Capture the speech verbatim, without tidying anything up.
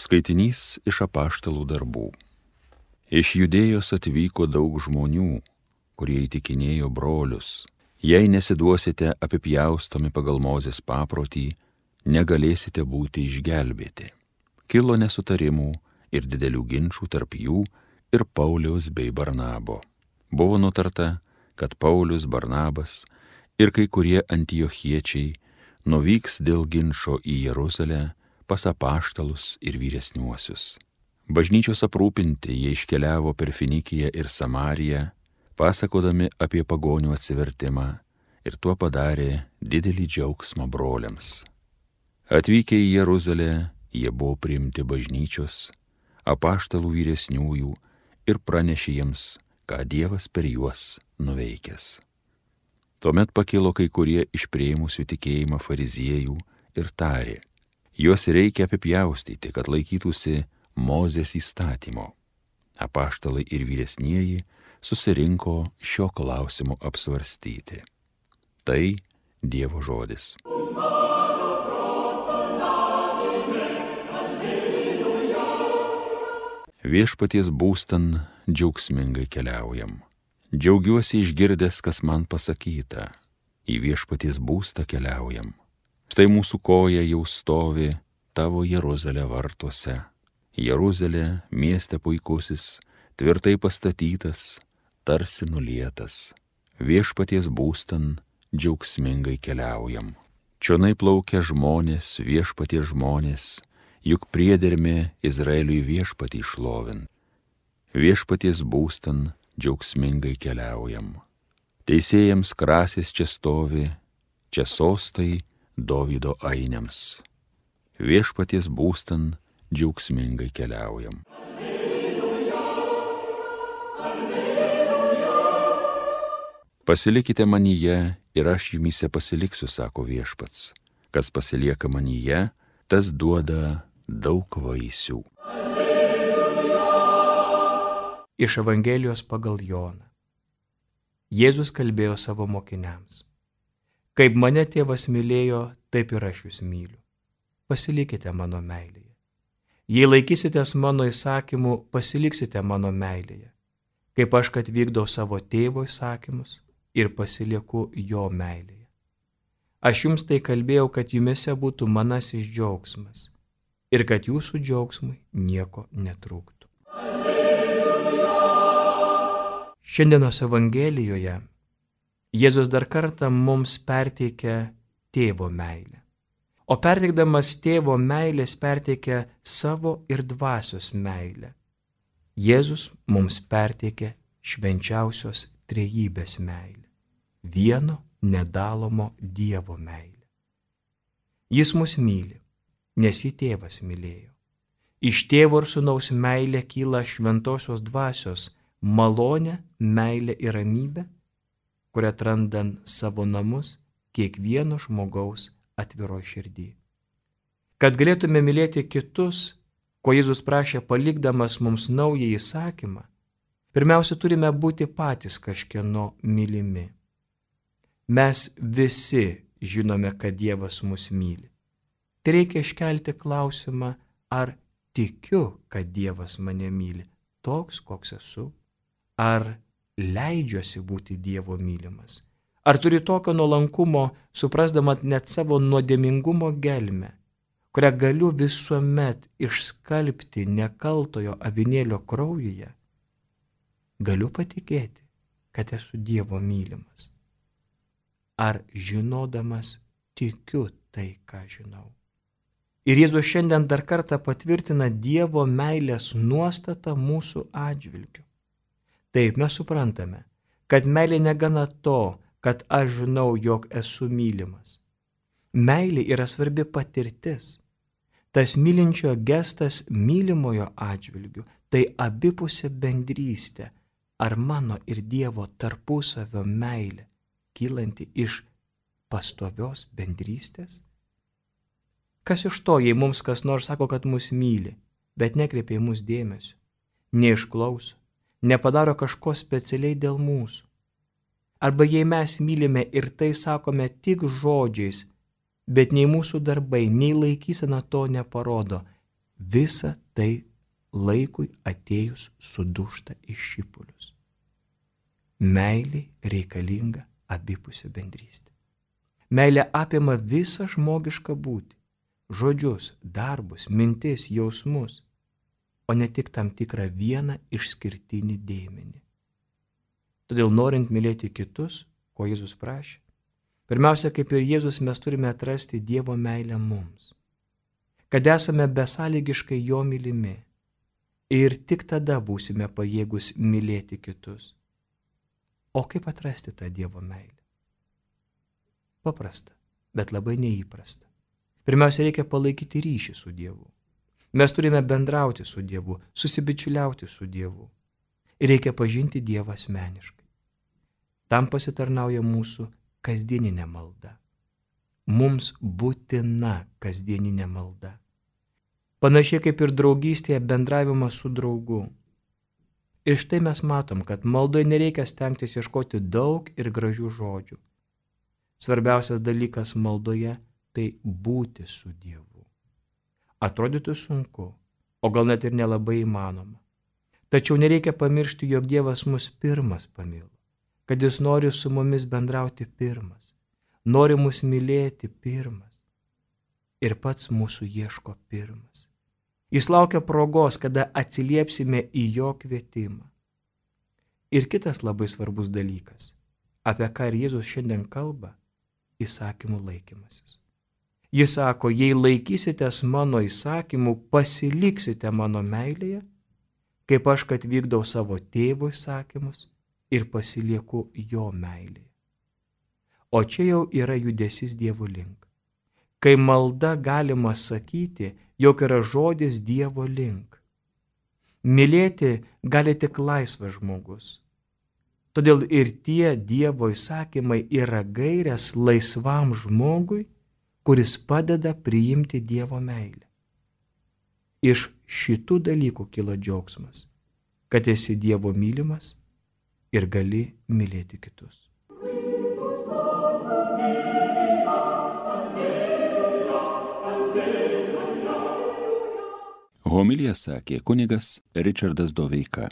Skaitinys iš apaštalų darbų. Iš Judėjos atvyko daug žmonių, kurie įtikinėjo brolius: jei nesiduosite apipjaustomi pagal Mozės paprotį, negalėsite būti išgelbėti. Kilo nesutarimų ir didelių ginčų tarp jų ir Pauliaus bei Barnabo. Buvo nutarta, kad Paulius, Barnabas ir kai kurie antiochiečiai nuvyks dėl ginčo į Jeruzalę pas apaštalus ir vyresniuosius. Bažnyčios aprūpinti jie iškeliavo per Finikiją ir Samariją, pasakodami apie pagonių atsivertimą, ir tuo padarė didelį džiaugsmą broliams. Atvykę į Jeruzalę, jie buvo priimti bažnyčios, apaštalų vyresniųjų ir pranešė jiems, ką Dievas per juos nuveikęs. Tuomet pakilo kai kurie iš priėmusių tikėjimą fariziejų ir tarė: juos reikia apipjaustyti, kad laikytųsi Mozės įstatymo. Apaštalai ir vyresnieji susirinko šio klausimo apsvarstyti. Tai Dievo žodis. Viešpaties būstan džiaugsmingai keliaujam. Džiaugiuosi išgirdęs, kas man pasakyta. Į viešpaties būstą keliaujam. Štai mūsų koja jau stovi tavo Jeruzalė vartuose. Jeruzalė, mieste puikusis, tvirtai pastatytas, tarsi nulietas. Viešpaties būstan džiaugsmingai keliaujam. Čionai plaukia žmonės, viešpaties žmonės, juk priedermė Izraeliui viešpatį šlovint. Viešpaties būstan džiaugsmingai keliaujam. Teisėjams krasės čia stovi, čia sostai Dovydo ainiams. Viešpaties būstan džiaugsmingai keliaujam. Alleluja, alleluja. Pasilikite manyje ir aš jumyse pasiliksiu, sako viešpats. Kas pasilieka manyje, tas duoda daug vaisių. Alleluja. Iš Evangelijos pagal Joną. Jėzus kalbėjo savo mokiniams: kaip mane tėvas mylėjo, taip ir aš jūs myliu. Pasilikite mano meilėje. Jei laikysitės mano įsakymų, pasiliksite mano meilėje, kaip aš kad vykdau savo tėvo įsakymus ir pasilieku jo meilėje. Aš jums tai kalbėjau, kad jumise būtų manasis džiaugsmas ir kad jūsų džiaugsmui nieko netrūktų. Alleluja. Šiandienos Evangelijoje Jėzus dar kartą mums perteikia tėvo meilę. O perteikdamas tėvo meilės perteikia savo ir dvasios meilę. Jėzus mums perteikia švenčiausios trejybės meilę, vieno nedalomo Dievo meilę. Jis mus myli, nes jį tėvas mylėjo. Iš tėvo ir sūnaus meilė kyla šventosios dvasios malonė, meilė ir ramybė, kurią atrandant savo namus kiekvieno žmogaus atviro širdį. Kad galėtume mylėti kitus, ko Jėzus prašė palikdamas mums naują įsakymą, pirmiausia turime būti patys kažkieno mylimi. Mes visi žinome, kad Dievas mus myli. Tai reikia iškelti klausimą, ar tikiu, kad Dievas mane myli, toks, koks esu, ar leidžiuosi būti Dievo mylimas. Ar turi tokio nuolankumo, suprasdamat net savo nuodėmingumo gelmę, kurią galiu visuomet išskalbti nekaltojo avinėlio kraujuje? Galiu patikėti, kad esu Dievo mylimas. Ar žinodamas tikiu tai, ką žinau? Ir Jėzus šiandien dar kartą patvirtina Dievo meilės nuostatą mūsų atžvilgiu. Taip mes suprantame, kad meilė negana to, kad aš žinau, jog esu mylimas. Meilė yra svarbi patirtis. Tas mylinčio gestas mylimojo atžvilgiu, tai abipusė bendrystė, ar mano ir Dievo tarpusavio meilė, kylanti iš pastovios bendrystės? Kas iš to, jei mums kas nors sako, kad mus myli, bet nekreipia į mus dėmesio, neišklauso, nepadaro kažko specialiai dėl mūsų? Arba jei mes mylime ir tai sakome tik žodžiais, bet nei mūsų darbai, nei laikysena to neparodo, visa tai laikui atėjus sudūžta į šipulius. Meilė reikalinga abipusė bendrystė. Meilė apima visą žmogišką būtį, žodžius, darbus, mintis, jausmus, o ne tik tam tikrą vieną išskirtinį dėmenį. Todėl norint mylėti kitus, ko Jėzus prašė, pirmiausia, kaip ir Jėzus, mes turime atrasti Dievo meilę mums, kad esame besąlygiškai jo mylimi ir tik tada būsime pajėgus mylėti kitus. O kaip atrasti tą Dievo meilę? Paprasta, bet labai neįprasta. Pirmiausia, reikia palaikyti ryšį su Dievu. Mes turime bendrauti su Dievu, susibičiuliauti su Dievu. Ir reikia pažinti Dievą asmeniškai. Tam pasitarnauja mūsų kasdieninė malda. Mums būtina kasdieninė malda. Panašiai kaip ir draugystėje bendravimas su draugu. Ir štai mes matom, kad maldoje nereikia stengtis ieškoti daug ir gražių žodžių. Svarbiausias dalykas maldoje – tai būti su Dievu. Atrodytų sunku, o gal net ir nelabai įmanoma. Tačiau nereikia pamiršti, jog Dievas mus pirmas pamilo, kad Jis nori su mumis bendrauti pirmas, nori mus mylėti pirmas ir pats mūsų ieško pirmas. Jis laukia progos, kada atsiliepsime į jo kvietimą. Ir kitas labai svarbus dalykas, apie ką ir Jėzus šiandien kalba, įsakymų laikymasis. Jis sako, jei laikysitės mano įsakymų, pasiliksite mano meilėje, kaip aš, kad vykdau savo tėvo įsakymus ir pasilieku jo meilėje. O čia jau yra judesys Dievo link. Kai malda galima sakyti, jog yra žodis Dievo link. Mylėti gali tik laisvas žmogus. Todėl ir tie Dievo įsakymai yra gairės laisvam žmogui, kuris padeda priimti Dievo meilę. Iš šitų dalykų kyla džiaugsmas, kad esi Dievo mylimas ir gali mylėti kitus. Homiliją sakė kunigas Ričardas Doveika.